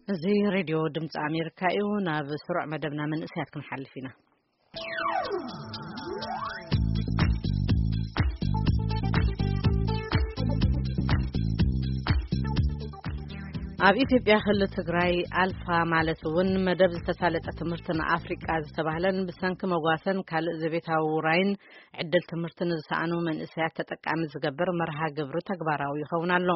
እዚ ሬድዮ ድምፂ ኣሜሪካ እዩ። ናብ ስሩዕ መደብና መንእሰያት ክንሓልፍ ኢና። ኣብ ኢትዮጵያ ክልል ትግራይ ኣልፋ ማለት እውን መደብ ዝተሳለጠ ትምህርቲ ንኣፍሪቃ ዝተባህለን ብሰንኪ መጓሰን ካልእ ዘቤታዊ ውራይን ዕድል ትምህርቲ ንዝሰኣኑ መንእሰያት ተጠቃሚ ዝገብር መርሃ ግብሪ ተግባራዊ ይኸውን ኣሎ።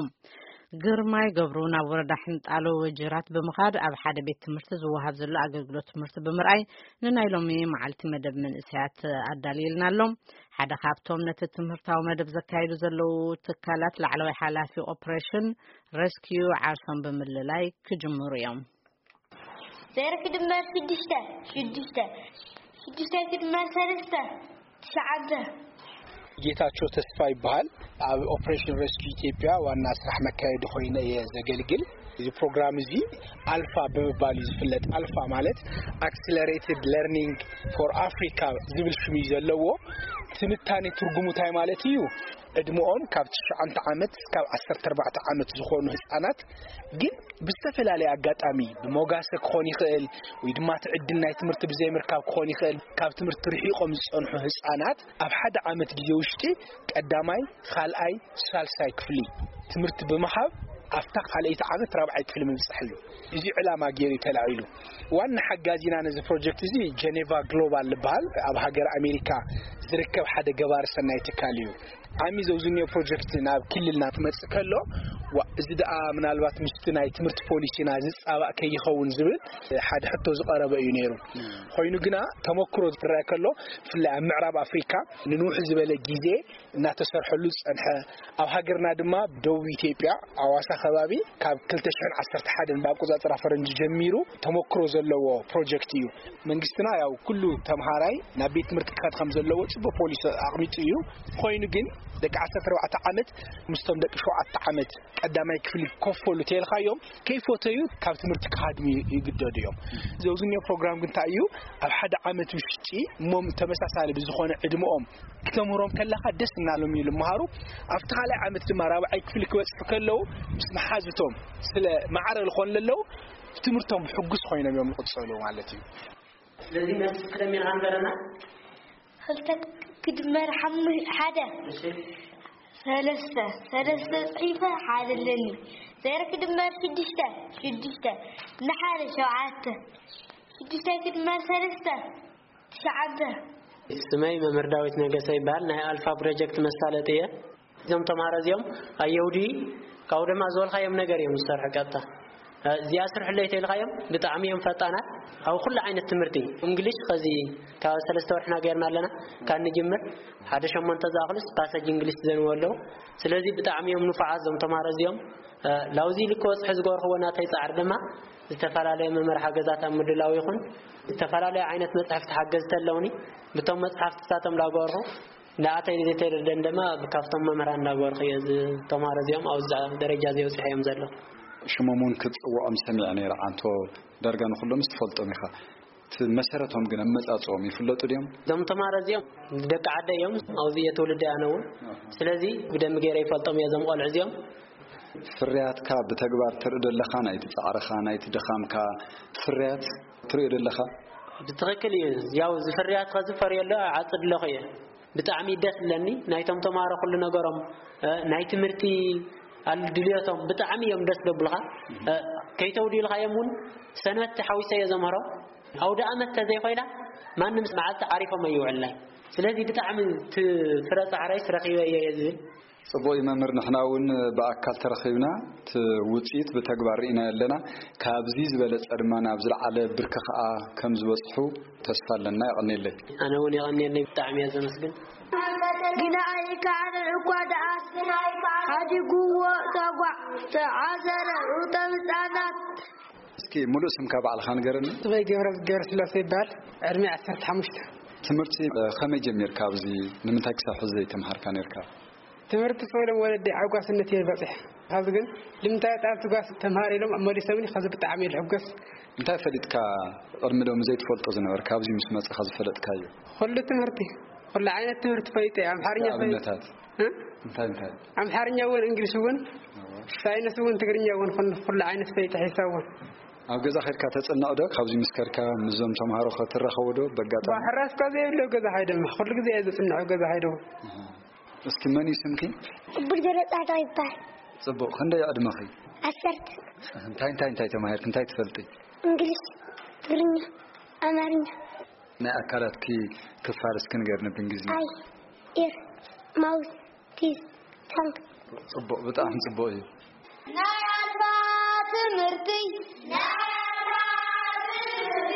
ግርማይ ገብሩ ናብ ወረዳ ሕንጣሎ ወጅራት ብምኻድ ኣብ ሓደ ቤት ትምህርቲ ዝወሃብ ዘሎ ኣገልግሎት ትምህርቲ ብምርኣይ ንናይ ሎሚ መዓልቲ መደብ መንእሰያት ኣዳልየልና ኣሎ። ሓደ ካብቶም ነቲ ትምህርታዊ መደብ ዘካይዱ ዘለዉ ትካላት ላዕለዋይ ሓላፊ ኦፕሬሽን ሬስኪዩ ዓርሶም ብምልላይ ክጅምሩ እዮም። ዜሮ ክድመር ሽዱሽተ፣ ሽዱሽተ፣ ሽዱሽተ ክድመር ሰለስተ፣ ትሽዓተ። ጌታቸው ተስፋ ይበሃል። ኣብ ኦፕሬሽን ሬስኪው ኢትዮጵያ ዋና ስራሕ መካየዲ ኮይነ እየ ዘገልግል። እዚ ፕሮግራም እዚ ኣልፋ ብምባል እዩ ዝፍለጥ። ኣልፋ ማለት ኣክስለሬትድ ለርኒንግ ፎር ኣፍሪካ ዝብል ሽም እዩ ዘለዎ። ትንታኔ ትርጉሙ እንታይ ማለት እዩ? ዕድመኦም ካብ ትሽዓተ ዓመት እስካብ ዓሰርተ ኣርባዕተ ዓመት ዝኾኑ ህፃናት ግን ብዝተፈላለየ ኣጋጣሚ ብሞጋሰ ክኾን ይኽእል፣ ወይ ድማ እቲ ዕድል ናይ ትምህርቲ ብዘይምርካብ ክኾን ይኽእል፣ ካብ ትምህርቲ ርሒቖም ዝጸንሑ ህጻናት ኣብ ሓደ ዓመት ግዜ ውሽጢ ቀዳማይ፣ ካልኣይ፣ ሳልሳይ ክፍሊ ትምህርቲ ብምሃብ ኣብታ ካልኣይቲ ዓመት ራብዓይ ክፍሊ ምብጻሕ እዩ። እዚ ዕላማ ገይሩ እዩ ተላዒሉ። ዋና ሓጋዚና ነዚ ፕሮጀክት እዚ ጀኔቫ ግሎባል ዝበሃል ኣብ ሃገር ኣሜሪካ ዝርከብ ሓደ ገባሪ ሰናይ ትካል እዩ። ዓሚ ዘውዝንዮ ፕሮጀክት ናብ ክልልና ክመጽእ ከሎ፣ ዋ፣ እዚ ደኣ ምናልባት ምስቲ ናይ ትምህርቲ ፖሊሲና ዝጻባእ ከይኸውን ዝብል ሓደ ሕቶ ዝቐረበ እዩ ነይሩ። ኮይኑ ግና ተመክሮ ዝረአ ከሎ፣ ብፍላይ ኣብ ምዕራብ ኣፍሪካ ንንውሕ ዝበለ ግዜ እናተሰርሐሉ ዝጸንሐ፣ ኣብ ሃገርና ድማ ደቡብ ኢትዮጵያ ኣዋሳ ከባቢ ካብ ክልተ ሽሕን ዓሰርተ ሓደን ብኣቆጻጽራ ፈረንጂ ጀሚሩ ተመክሮ ዘለዎ ፕሮጀክት እዩ። መንግስትና ያው ኩሉ ተምሃራይ ናብ ቤት ትምህርቲ ክኸድ ከም ዘለዎ ጽቡቅ ፖሊሲ ኣቕሚጡ እዩ። ኮይኑ ግን ደቂ ዓሰርተ ኣርባዕተ ዓመት ምስቶም ደቂ ሸውዓተ ዓመት ቀዳማይ ክፍሊ ክከፈሉ ተልካዮም ከይፈተዩ ካብ ትምህርቲ ክሃድሙ ይግደዱ እዮም። ዘውዝንዮ ፕሮግራም ግን እንታይ እዩ? ኣብ ሓደ ዓመት ውሽጢ እሞም ተመሳሳሊ ብዝኾነ ዕድመኦም ክተምህሮም ከለኻ ደስ እናሎም እዩ ልምሃሩ። ኣብቲ ካልኣይ ዓመት ድማ ራብዓይ ክፍሊ ክበጽሑ ከለዉ ምስ መሓዝቶም ስለ ማዕረ ዝኾኑ ለለዉ ትምህርቶም ብሕጉስ ኮይኖም እዮም ዝቕጸሉ ማለት እዩ። ስለዚ መልሲ ክደም ኢና ንበረና። ክልተ ክድመር ሓሙ-፣ ሓደ። እሺ። ሰለስተ። ሰለስተ ጽሒፈ ሓደ ኣለኒ። ዜሮ ክድመር ሽዱሽተ። ሽዱሽተ። ንሓደ ሸውዓተ። ሽዱሽተ ክድመር ሰለስተ። ትሽዓተ። ስመይ መምህር ዳዊት ነገሰ ይበሃል። ናይ ኣልፋ ፕሮጀክት መሳለጥ እየ። እዞም ተምሃሮ እዚኦም ኣየውዲ ካብኡ ድማ ዝበልካዮም ነገር እዮም ዝሰርሑ ቀጥታ። እዚኣ ስርሕለይ ተልካዮም ብጣዕሚ እዮም ፈጣናት። ኣብ ኩሉ ዓይነት ትምህርቲ እንግሊሽ ኸዚ ካብ ሰለስተ ወርሕና ገይርና ኣለና። ካብ ንጅምር ሓደ ሸሞንተ ዝኣኽሉስ ፓሰጅ እንግሊሽ ዘንዎ ኣለዉ። ስለዚ ብጣዕሚ እዮም ንፉዓት እዞም ተምሃሮ እዚኦም። ላውዚ ልክ ወፅሒ ዝገበርክዎ ናተይ ፃዕሪ ድማ ዝተፈላለየ መምርሒ ሓገዛት ኣብ ምድላው ይኹን ዝተፈላለየ ዓይነት መፅሕፍቲ ሓገዝቲ ኣለውኒ። ብቶም መፅሓፍትታቶም ላገበርኩ ንኣተይ ዘይተደደን ድማ ካብቶም መምህራን እንዳገበርኩ እየ። እዚ ተምሃሮ እዚኦም ኣብዚ ደረጃ እዚ ኣብፂሖ እዮም ዘለዉ። ሽሞም እውን ክፅውዖም ሰሚዐ ነይረ። ዓንቶ ዳርጋ ንኩሎም ትፈልጦም ኢኻ። እቲ መሰረቶም ግን ኣመፃፅኦም ይፍለጡ ድዮም? እዞም ተምሃሮ እዚኦም ደቂ ዓደ እዮም። ኣብዚ እየ ትውልዲ ኣነ እውን። ስለዚ ብደንቢ ገይረ ይፈልጦም እየ እዞም ቆልዑ እዚኦም። ፍርያትካ ብተግባር ትርኢ ደለኻ፣ ናይቲ ጻዕርኻ፣ ናይቲ ድኻምካ ፍርያት ትርኢ ደለኻ? ብትኽክል እዩ። ያው እዚ ፍርያት ከዚ ፈርየሎ ዓጽድ ኣለኹ እየ። ብጣዕሚ ደስ ዝብለኒ ናይቶም ተምሃሮ ኩሉ ነገሮም፣ እ፣ ናይ ትምህርቲ ኣል-፣ ድልዮቶም ብጣዕሚ እዮም ደስ ዘብሉኻ። እ፣ ከይተውዲልካዮም እውን ሰንበት ሓዊሰ እየ ዘምህሮም። ኣውደ ኣመት ተዘይኮይና ማንም መዓልቲ ዓሪፎም ኣይውዕልናይ። ስለዚ ብጣዕሚ እቲ ፍረ ጻዕራይስ ረኺበ እየ እየ ዝብል። ጽቡቕ እዩ መምህር፣ ንሕና እውን ብኣካል ተረኺብና እቲ ውጽኢት ብተግባር ርኢናዮ ኣለና። ካብዚ ዝበለጸ ድማ ናብ ዝለዓለ ብርኪ ከኣ ከም ዝበጽሑ ተስፋ ኣለና። የቐንየለይ። ኣነ እውን የቐንየለይ፣ ብጣዕሚ እየ ዘመስግን። ግና ኣይከኣልን እኳ ደኣስ ሓዲግዎ ተጓዕ ተዓዘረ እቶም ህፃናት። እስኪ ሙሉእ ስምካ ባዕልኻ ንገረኒ። ስመይ ገብረ፣ ገብረስላሴ ይበሃል። ዕድመይ ዓሰርተ ሓሙሽተ። ትምህርቲ፣ እ፣ ከመይ ጀሚርካ? ኣብዚ ንምንታይ ክሳብ ሕዚ ዘይተምሃርካ ነርካ? ትምህርቲ ስወሎም ወለዲ ኣብ ጓስነት እየ በፂሐ። ካብዚ ግን ልምንታይ ጣብ ትጓስ ተምሃር ኢሎም መሊሶምኒ፣ ከዚ ብጣዕሚ እየ ልሕጎስ። እንታይ ፈሊጥካ ቅድሚ ሎሚ ዘይትፈልጦ ዝነበርካ ኣብዚ ምስ መጻኻ ዝፈለጥካዮ? ኩሉ ትምህርቲ፣ ኩሉ ዓይነት ትምህርቲ ፈሊጠ እየ። ኣምሓርኛ ፈሊጠ። ንኣብነታት? እ? እንታይ እንታይ? ኣምሓርኛ እውን፣ እንግሊሽ እውን፣ እወ። ሳይንስ እውን፣ ትግርኛ እውን፣ ኩሉ፣ ኩሉ ዓይነት ፈሊጠ፣ ሒሳብ እውን። ኣብ ገዛ ከድካ ተጽንዕ ዶ? ካብዚ ምስ ከድካ ምስዞም ተምሃሮ ክትራኸቡ ዶ በጋጣሚ? ሕራስ ካብ ዘየብሎ ገዛ ሃይደም፣ ኩሉ ግዜ እየ ዘጽንዕ ኣብ ገዛ ሃይደም። እስኪ መን እዩ ስምኪ? ብርገረ ጻድቕ ይበሃል። ጽቡቕ፣ ክንደይ ዕድመኺ? ዓሰርተ። እንታይ እንታይ እንታይ ተማሂርክ? እንታይ ትፈልጢ? እንግሊዝ፣ ትግርኛ፣ ኣማርኛ። ናይ ኣካላትኪ ክፋል እስኪ ንገርኒ ብእንግሊዝኛ። ኣይ፣ ኢር፣ ማውዝ፣ ቲዝ፣ ታንግ። ጽቡቕ፣ ብጣዕሚ ጽቡቕ እዩ። ናይ ኣልፋ ትምህርቲ ናይ ኣልፋ ትምህርቲ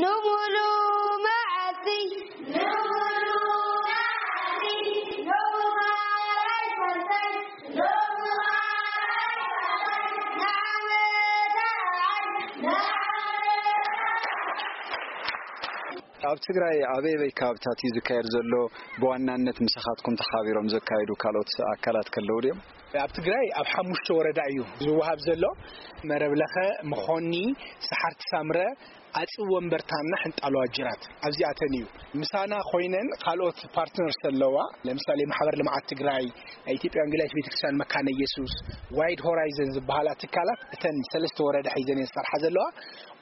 ንሙሉ መዓልቲ ንሙሉ መዓልቲ ንሙሉ ኣይፈርሰን ንሙሉ ኣይፈርሰን ንዓመት ንዓመት ኣብ ትግራይ ኣበይ ኣበይ ከባብታት እዩ ዝካየድ ዘሎ? ብዋናነት ምሳኻትኩም ተሓቢሮም ዘካየዱ ካልኦት ኣካላት ከለዉ ድዮም? ኣብ ትግራይ ኣብ ሓሙሽተ ወረዳ እዩ ዝወሃብ ዘሎ። መረብ ለኸ፣ መኾኒ፣ ሰሓርቲ ሳምረ፣ ኣፅቢ ወንበርታና ሕንጣሎ ኣጅራት ኣብዚኣተን እዩ። ምሳና ኮይነን ካልኦት ፓርትነርስ ኣለዋ። ለምሳሌ ማሕበር ልምዓት ትግራይ፣ ናይ ኢትዮጵያ ወንጌላዊት ቤተክርስትያን መካነ ኢየሱስ፣ ዋይድ ሆራይዘን ዝበሃላ ትካላት እተን ሰለስተ ወረዳ ሒዘን እየን ዝሰርሓ ዘለዋ።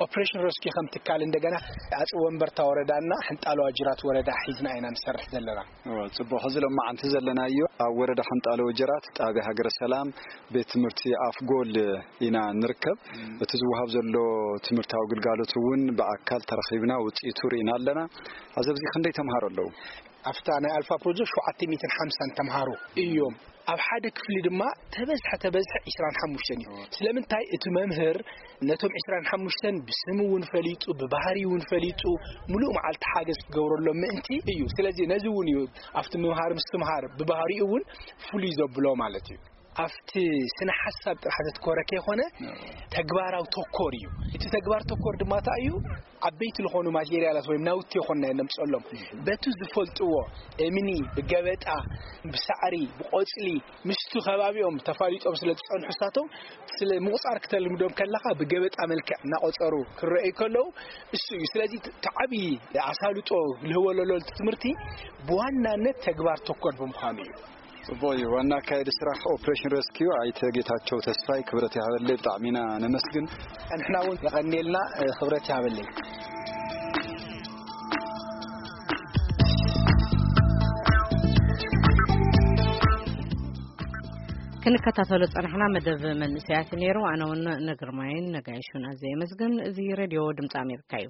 ኦፕሬሽን ረስኪ ከም ትካል እንደገና ኣፅቢ ወንበርታ ወረዳና ሕንጣሎ ኣጅራት ወረዳ ሒዝና ኢና ንሰርሕ ዘለና። እወ፣ ጽቡቕ። ሕዚ ሎማዓንቲ ዘለናዮ ኣብ ወረዳ ሕንጣሎ ወጀራት ጣብያ ሃገረ ሰላም ቤት ትምህርቲ ኣፍጎል ኢና ንርከብ። እቲ ዝወሃብ ዘሎ ትምህርታዊ ግልጋሎት እውን ብኣካል ተረኺብና ውጽኢቱ ርኢና ኣለና። ኣብዚ ኣብዚ ክንደይ ተምሃሮ ኣለዉ? ኣብታ ናይ ኣልፋ ፕሮጀክት ሸውዓተ ሚእትን ሓምሳን ተምሃሮ እዮም። ኣብ ሓደ ክፍሊ ድማ ተበዝሐ ተበዝሐ ዒስራን ሓሙሽተን እዩ። ስለምንታይ? እቲ መምህር ነቶም ዒስራን ሓሙሽተን ብስም እውን ፈሊጡ፣ ብባህሪ እውን ፈሊጡ፣ ሙሉእ መዓልቲ ሓገዝ ክገብረሎም ምእንቲ እዩ። ስለዚ ነዚ እውን እዩ ኣብቲ ምምሃር ምስትምሃር ብባህሪኡ እውን ፍሉይ ዘብሎ ማለት እዩ። ኣብቲ ስነ ሓሳብ ጥራሕ ዘትኮረ ከይኮነ ተግባራዊ ተኮር እዩ። እቲ ተግባር ተኮር ድማ እንታይ እዩ? ዓበይቲ ዝኾኑ ማቴሪያላት ወይም ናውቲ ይኾንና ነምፀሎም በቲ ዝፈልጥዎ እምኒ፣ ብገበጣ፣ ብሳዕሪ፣ ብቆፅሊ፣ ምስቲ ከባቢኦም ተፋሊጦም ስለ ዝፀንሑ እሳቶም ስለ ምቑፃር ክተልምዶም ከለኻ ብገበጣ መልክዕ እናቆፀሩ ክረኣዩ ከለዉ እሱ እዩ። ስለዚ እቲ ዓብዪ ኣሳልጦ ልህቦ ለሎ እቲ ትምህርቲ ብዋናነት ተግባር ተኮር ብምዃኑ እዩ። ጽቡቕ እዩ። ዋና ኣካየዲ ስራሕ ኦፕሬሽን ረስኪዩ ኣይተ ጌታቸው ተስፋይ ክብረት ይሃበለይ፣ ብጣዕሚ ኢና ነመስግን። ንሕና እውን የቐንየልና፣ ክብረት ይሃበለይ። ክንከታተሎ ጸናሕና መደብ መንእሰያት ነይሩ። ኣነ እውን ንግርማይን ነጋይሹን ኣዘየ መስግን። እዚ ሬድዮ ድምፂ ኣሜሪካ እዩ።